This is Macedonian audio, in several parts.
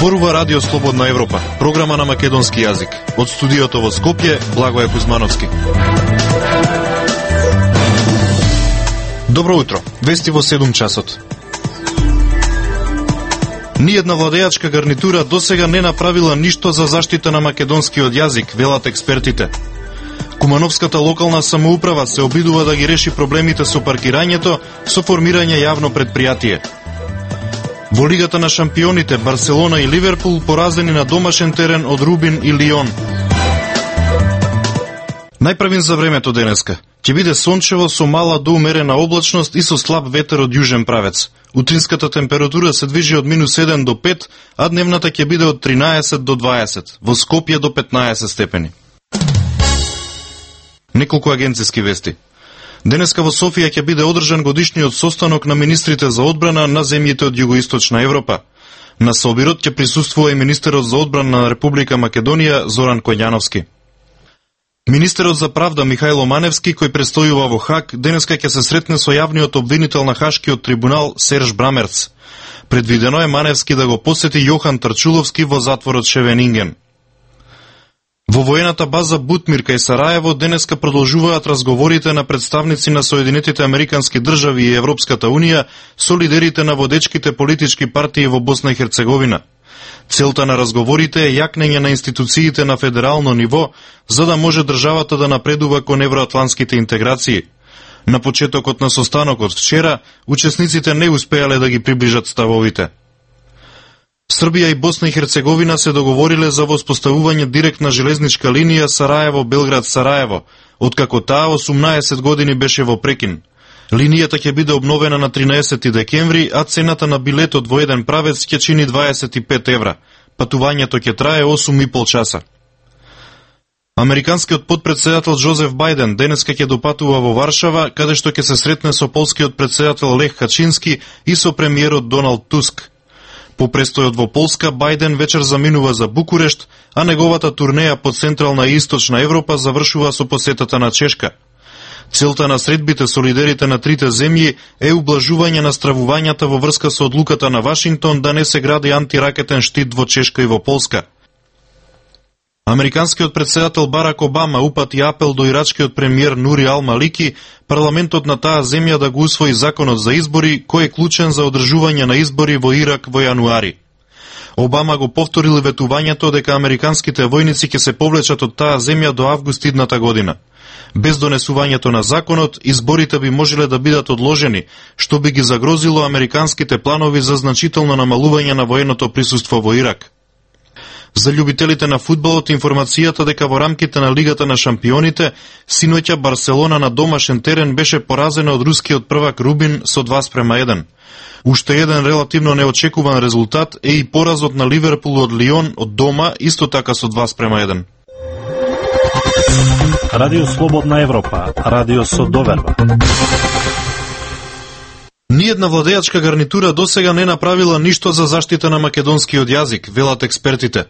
Зборува Радио Слободна Европа, програма на македонски јазик. Од студиото во Скопје, Благоје Кузмановски. Добро утро, вести во 7 часот. Ниедна владеачка гарнитура досега не направила ништо за заштита на македонскиот јазик, велат експертите. Кумановската локална самоуправа се обидува да ги реши проблемите со паркирањето со формирање јавно предпријатие. Во Лигата на шампионите, Барселона и Ливерпул поразени на домашен терен од Рубин и Лион. Најправин за времето денеска. Ќе биде сончево со мала до умерена облачност и со слаб ветер од јужен правец. Утринската температура се движи од -1 до 5, а дневната ќе биде од 13 до 20, во Скопје до 15 степени. Неколку агенциски вести. Денеска во Софија ќе биде одржан годишниот состанок на министрите за одбрана на земјите од Југоисточна Европа. На собирот ќе присуствува и министерот за одбрана на Република Македонија Зоран Коњановски. Министерот за правда Михајло Маневски, кој престојува во Хаг, денеска ќе се сретне со јавниот обвинител на Хашкиот трибунал Серж Брамерц. Предвидено е Маневски да го посети Јохан Трчуловски во затворот Шевенинген. Во воената база Бутмир кај Сараево денеска продолжуваат разговорите на представници на Соединетите Американски држави и Европската Унија со лидерите на водечките политички партии во Босна и Херцеговина. Целта на разговорите е јакнење на институциите на федерално ниво, за да може државата да напредува кон евроатлантските интеграции. На почетокот на состанокот вчера, учесниците не успеале да ги приближат ставовите. Србија и Босна и Херцеговина се договориле за воспоставување директна железничка линија Сараево-Белград-Сараево, откако таа 18 години беше во прекин. Линијата ќе биде обновена на 13 декември, а цената на билетот во еден правец ќе чини 25 евра. Патувањето ќе трае 8,5 часа. Американскиот подпредседател Джозеф Бајден денеска ќе допатува во Варшава, каде што ќе се сретне со полскиот председател Лех Качински и со премиерот Доналд Туск. По престојот во Полска, Бајден вечер заминува за Букурешт, а неговата турнеја по Централна и Источна Европа завршува со посетата на Чешка. Целта на средбите со лидерите на трите земји е ублажување на стравувањата во врска со одлуката на Вашингтон да не се гради антиракетен штит во Чешка и во Полска. Американскиот председател Барак Обама упати апел до ирачкиот премиер Нури Ал-Малики парламентот на таа земја да го усвои законот за избори, кој е клучен за одржување на избори во Ирак во јануари. Обама го повторил ветувањето дека американските војници ќе се повлечат од таа земја до август идната година. Без донесувањето на законот, изборите би можеле да бидат одложени, што би ги загрозило американските планови за значително намалување на военото присуство во Ирак. За љубителите на фудбалот информацијата дека во рамките на Лигата на шампионите, синоќа Барселона на домашен терен беше поразена од рускиот првак Рубин со 2:1. Уште еден релативно неочекуван резултат е и поразот на Ливерпул од Лион од дома, исто така со 2:1. Радио Слободна Европа, радио со доверба. Ниедна владеачка гарнитура досега не направила ништо за заштита на македонскиот јазик, велат експертите.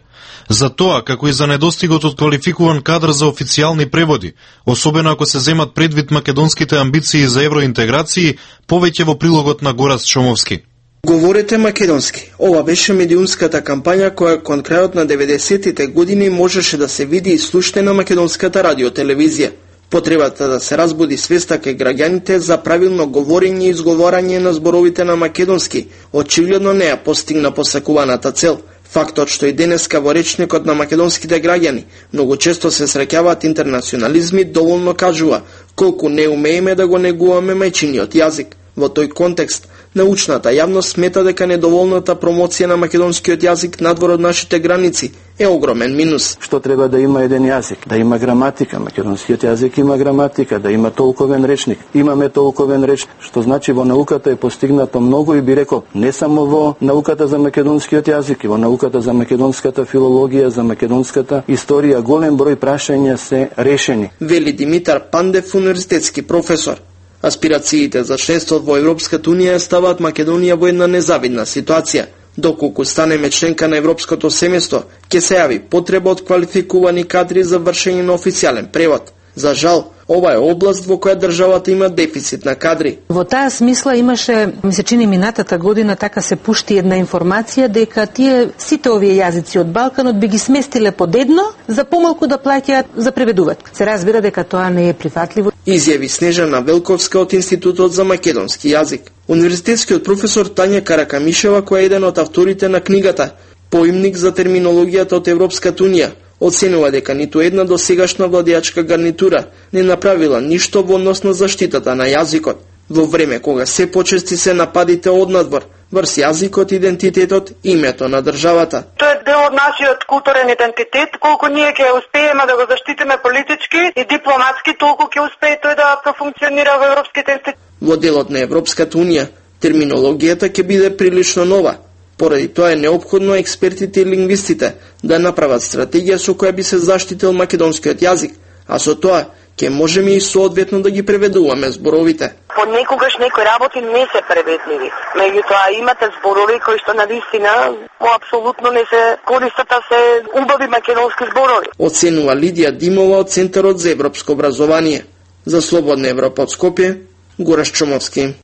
За тоа, како и за недостигот од квалификуван кадар за официјални преводи, особено ако се земат предвид македонските амбиции за евроинтеграции, повеќе во прилогот на Горац Чомовски. Говорете македонски. Ова беше медиумската кампања која кон крајот на 90-тите години можеше да се види и слушне на македонската радиотелевизија. Потребата да се разбуди свеста кај граѓаните за правилно говорење и изговорање на зборовите на македонски, очигледно не ја постигна посакуваната цел. Фактот што и денеска во речникот на македонските граѓани многу често се среќаваат интернационализми доволно кажува колку не умееме да го негуваме мајчиниот јазик. Во тој контекст, научната јавност смета дека недоволната промоција на македонскиот јазик надвор од нашите граници е огромен минус. Што треба да има еден јазик, да има граматика, македонскиот јазик има граматика, да има толковен речник. Имаме толковен реч, што значи во науката е постигнато многу и би рекол, не само во науката за македонскиот јазик, и во науката за македонската филологија, за македонската историја, голем број прашања се решени. Вели Димитар Пандев, универзитетски професор. Аспирациите за членство во Европската Унија ставаат Македонија во една незавидна ситуација. Доколку станеме членка на Европското семејство, ќе се јави потреба од квалификувани кадри за вршење на официјален превод. За жал, ова е област во која државата има дефицит на кадри. Во таа смисла имаше, ми се чини минатата година, така се пушти една информација дека тие сите овие јазици од Балканот би ги сместиле под едно за помалку да плаќаат за преведувач. Се разбира дека тоа не е прифатливо. Изјави Снежана Велковска од Институтот за македонски јазик. Универзитетскиот професор Тања Каракамишева, која е еден од авторите на книгата Поимник за терминологијата од Европската унија, оценува дека ниту една досегашна владеачка гарнитура не направила ништо во однос на заштитата на јазикот, во време кога се почести се нападите однадвор врз јазикот, идентитетот и името на државата. Тоа е дел од нашиот културен идентитет, колку ние ќе успееме да го заштитиме политички и дипломатски, толку ќе успее тој да профункционира во европските институции. Во делот на Европската унија, терминологијата ќе биде прилично нова. Поради тоа е неопходно експертите и лингвистите да направат стратегија со која би се заштитил македонскиот јазик, а со тоа ќе можеме и соодветно да ги преведуваме зборовите. Понекогаш некои работи не се преведливи, меѓутоа имате зборови кои што навистина апсолутно не се користат, а се убави македонски зборови. Оценува Лидија Димова од Центарот за европско образование. За Слободна Европа од Скопје, Гораш Чомовски.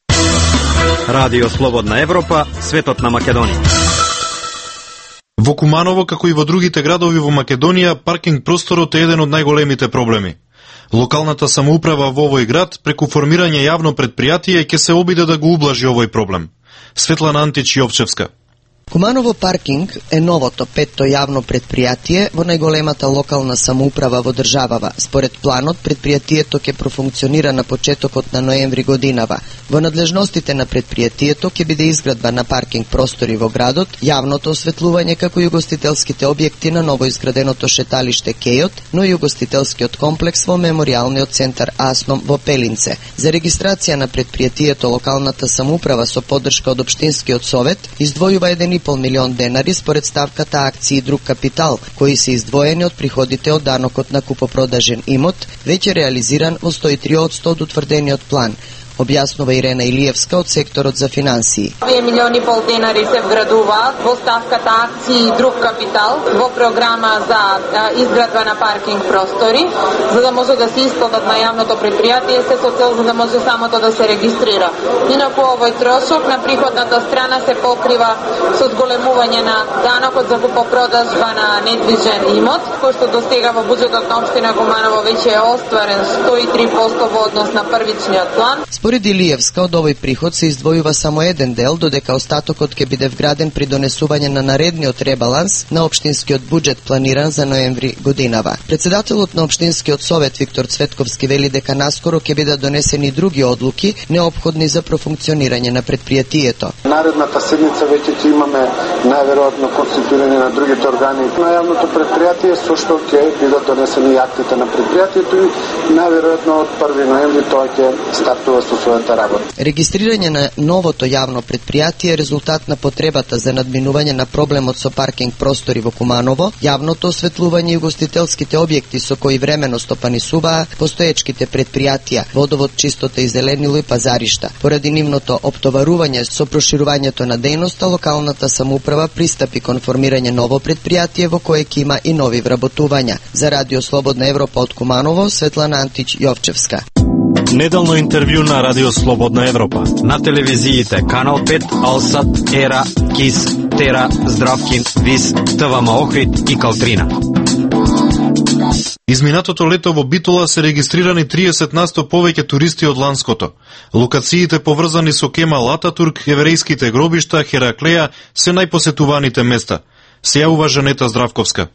Радио Слободна Европа, светот на Македонија. Во Куманово, како и во другите градови во Македонија, паркинг просторот е еден од најголемите проблеми. Локалната самоуправа во овој град, преку формирање јавно предпријатие, ќе се обиде да го ублажи овој проблем. Светлана Антич Јовчевска. Куманово паркинг е новото петто јавно предпријатие во најголемата локална самоуправа во државава. Според планот, предпријатието ќе профункционира на почетокот на ноември годинава. Во надлежностите на предпријатието ќе биде изградба на паркинг простори во градот, јавното осветлување како и угостителските објекти на новоизграденото шеталиште Кејот, но и угостителскиот комплекс во меморијалниот центар Асном во Пелинце. За регистрација на предпријатието локалната самоуправа со поддршка од општинскиот совет издвојува 1,5 милион денари според ставката акции и друг капитал, кои се издвоени од приходите од данокот на купопродажен имот, веќе реализиран во 103% од утврдениот план, објаснува Ирена Илиевска од секторот за финансии. 2,5 милиони денари се вградуваат во ставката акции и друг капитал во програма за изградба на паркинг простори, за да може да се исплатат на јавното предпријатие, се со цел за да може самото да се регистрира. Инаку овој трошок на приходната страна се покрива со зголемување на данокот за купопродажба на недвижен имот, кој што достига во буџетот на општина Куманово веќе е остварен 103% во однос на првичниот план. Според Илиевска, од овој приход се издвојува само еден дел, додека остатокот ќе биде вграден при донесување на наредниот ребаланс на општинскиот буџет планиран за ноември годинава. Председателот на општинскиот совет Виктор Цветковски вели дека наскоро ќе бидат донесени други одлуки неопходни за профункционирање на предпријатието. Наредната седница веќе ќе имаме најверојатно конституирање на другите органи на јавното предпријатие, со што ќе бидат донесени актите на предпријатието и најверојатно од 1 ноември тоа ќе стартува со својата работа. Регистрирање на новото јавно предпријатие е резултат на потребата за надминување на проблемот со паркинг простори во Куманово, јавното осветлување и угостителските објекти со кои времено стопанисуваа постоечките предпријатија, водовод, чистота и зеленило и пазаришта. Поради нивното оптоварување со проширувањето на дејноста, локалната самоуправа пристапи кон формирање ново предпријатие во кое ќе има и нови вработувања. За Радио Слободна Европа од Куманово, Светлана Антич Јовчевска. Неделно интервју на Радио Слободна Европа. На телевизиите Канал 5, Алсат, Ера, Кис, Тера, Здравкин, Вис, ТВМ Охрид и Калтрина. Изминатото лето во Битола се регистрирани 30% повеќе туристи од ланското. Локациите поврзани со Кемал Ататурк, еврејските гробишта, Хераклеја се најпосетуваните места. Се јавува Жанета Здравковска.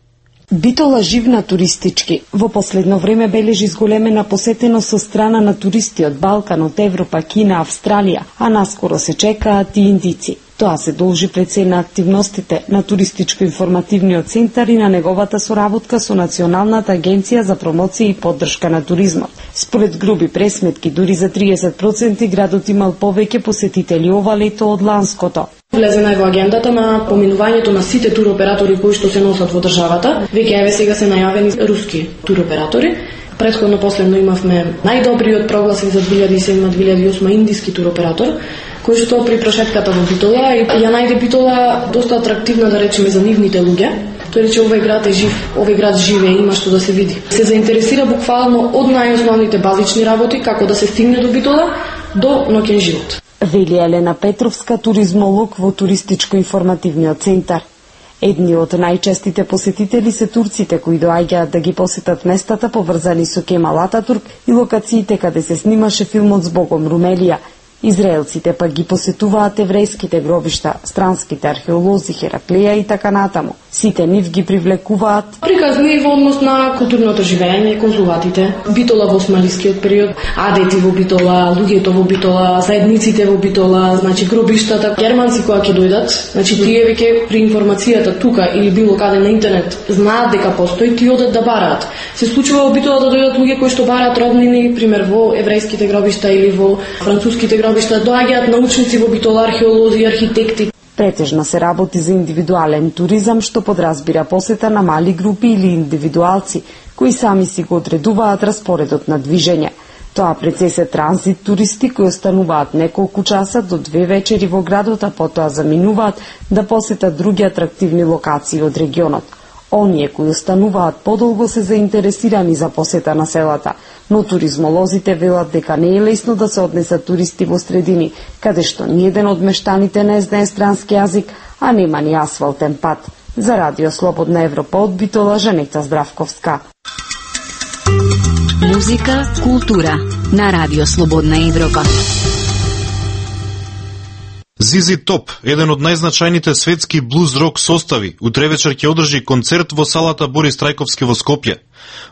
Битола живна туристички. Во последно време бележи зголемена посетеност со страна на туристи од Балкан, од Европа, Кина, Австралија, а наскоро се чекаат и индици. Тоа се должи пред се на активностите на Туристичко-информативниот центар и на неговата соработка со Националната агенција за промоција и поддршка на туризмот. Според груби пресметки, дури за 30% градот имал повеќе посетители ова лето од ланското. Влезена е во агендата на поминувањето на сите туроператори кои што се носат во државата. Веќе еве сега се најавени руски туроператори. Претходно последно имавме најдобриот прогласен за 2007-2008 индиски туроператор, кој што при прошетката во Битола и ја најде Битола доста атрактивна, да речеме, за нивните луѓе. Тој рече овој град е жив, овој град живее, има што да се види. Се заинтересира буквално од најосновните базични работи како да се стигне до Битола до ноќен живот. Вели Елена Петровска, туризмолог во туристичко-информативниот центар. Едни од најчестите посетители се турците кои доаѓаат да ги посетат местата поврзани со Кемал Ататурк и локациите каде се снимаше филмот Збогом Румелија. Израелците пак ги посетуваат еврејските гробишта, странските археолози, Хераклеја и така натаму. Сите нив ги привлекуваат приказни во однос на културното живење, конзулатите, Битола во османлискиот период, адети во Битола, луѓето во Битола, заедниците во Битола, значи гробиштата. Германци кои ќе дојдат, значи тие веќе при информацијата тука или било каде на интернет знаат дека постои, ти одат да бараат. Се случува во Битола да дојдат луѓе кои што бараат роднини, пример во еврејските гробишта или во француските гробишта, доаѓаат научници во Битола, археолози, архитекти. Претежно се работи за индивидуален туризам, што подразбира посета на мали групи или индивидуалци, кои сами си го одредуваат распоредот на движење. Тоа пред се транзит туристи кои остануваат неколку часа до 2 вечери во градот, а потоа заминуваат да посетат други атрактивни локации од регионот. Оние кои остануваат подолго се заинтересирани за посета на селата, но туризмолозите велат дека не е лесно да се однесат туристи во средини, каде што ниеден од мештаните не знае странски јазик, а нема ни асфалтен пат. За Радио Слободна Европа од Битола, Жанета Здравковска. Музика, култура на Радио Слободна Европа. ZZ Top, еден од најзначајните светски блуз-рок состави, утре вечер ќе одржи концерт во салата Борис Трајковски во Скопје.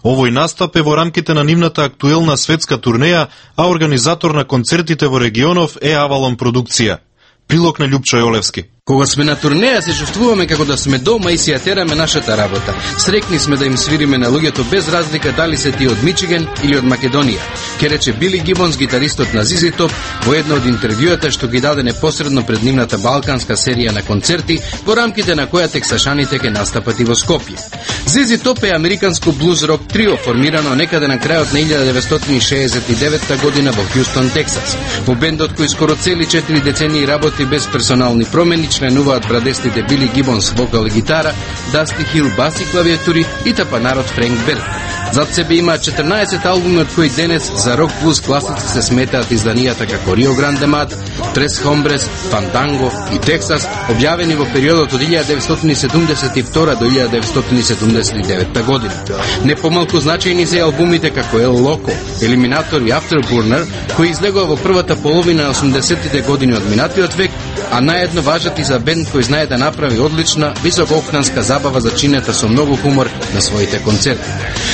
Овој настап е во рамките на нивната актуелна светска турнеја, а организатор на концертите во регионов е Авалон продукција. Прилог на Љупчо Јолевски. Кога сме на турнеја се чувствуваме како да сме дома и си ја тераме нашата работа. Срекни сме да им свириме на луѓето без разлика дали се ти од Мичиген или од Македонија. Ке рече Били Гибонс, гитаристот на ZZ Top, во едно од интервјуата што ги даде непосредно пред нивната балканска серија на концерти, во рамките на која тексашаните ке настапат и во Скопје. ZZ Top е американско блуз-рок трио формирано некаде на крајот на 1969 година во Хјустон, Тексас. Во бендот кој скоро цели 4 децении работи без персонални промени, членуваат брадестите Били Гибонс вокал и гитара, Дасти Хил бас и клавиатури и тапанарот Френк Берг. Зад себе има 14 албуми од кои денес за рок блуз класици се сметаат изданијата како Рио Гранде Мад, Трес Хомбрес, Фанданго и Тексас, објавени во периодот од 1972 до 1979 година. Не помалку значајни се албумите како El Loco, Eliminator и Afterburner, кои излегува во првата половина на 80-тите години од минатиот век, а наедно важат и за бенд кој знае да направи одлична, високооктанска забава зачинета со многу хумор на своите концерти.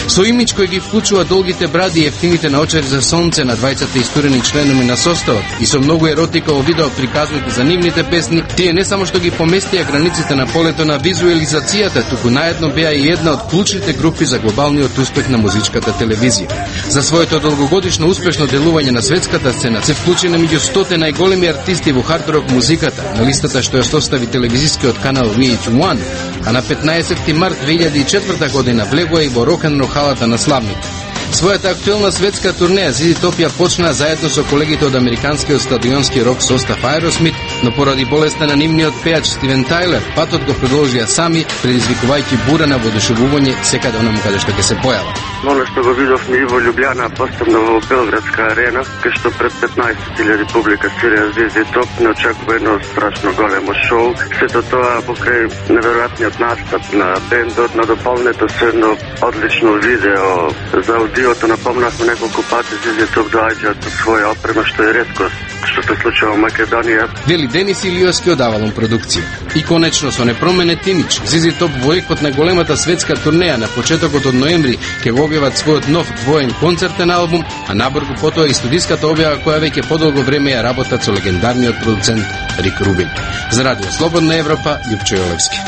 Со имидж кој ги вклучува долгите бради и ефтините наочари за сонце на двајцата истурени членови на составот и со многу еротика во видео приказните за нивните песни, тие не само што ги поместија границите на полето на визуализацијата, туку наедно беа и една од клучните групи за глобалниот успех на музичката телевизија. За своето долгогодишно успешно делување на светската сцена се вклучи на меѓу 100 најголеми артисти во хард-рок музиката, на листата што ја состави телевизискиот канал VH1, а на 15 март 2004 година влегува и во рок-н-рол халата на славните. Својата актуелна светска турнеја ZZ Top ја почна заедно со колегите од американскиот стадионски рок состав Aerosmith, но поради болеста на нивниот пеач Стивен Тајлер, патот го продолжија сами, предизвикувајќи бура на воодушевување секаде онаму каде што ќе се појава. Оно што го видовме и во Љубљана, посебно во Белградска арена, кај што пред 15.000 публика свирија ZZ Top, не очекува едно страшно големо шоу. Сето тоа покрај неверојатниот настап на бендот, на дополнето со едно одлично видео за аудиото, напомнавме неколку пати ZZ Top доаѓаат со своја опрема, што е реткост, што се случува во Македонија. Вели Денис Илиовски од Авалон продукција. И конечно со непроменет имидж, ZZ Top во екот на големата светска турнеја на почетокот од ноември ќе го објават својот нов двоен концертен албум, а набрзо потоа и студиската објава која веќе подолго време ја работат со легендарниот продуцент Рик Рубин. За Радио Слободна Европа, Љупчо Јолевски.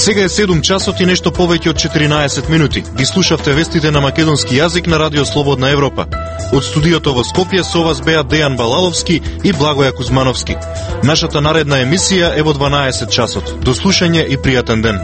Сега е 7 часот и нешто повеќе од 14 минути. Ги слушавте вестите на македонски јазик на Радио Слободна Европа. Од студиото во Скопје со вас беа Дејан Балаловски и Благоја Кузмановски. Нашата наредна емисија е во 12 часот. До слушање и пријатен ден.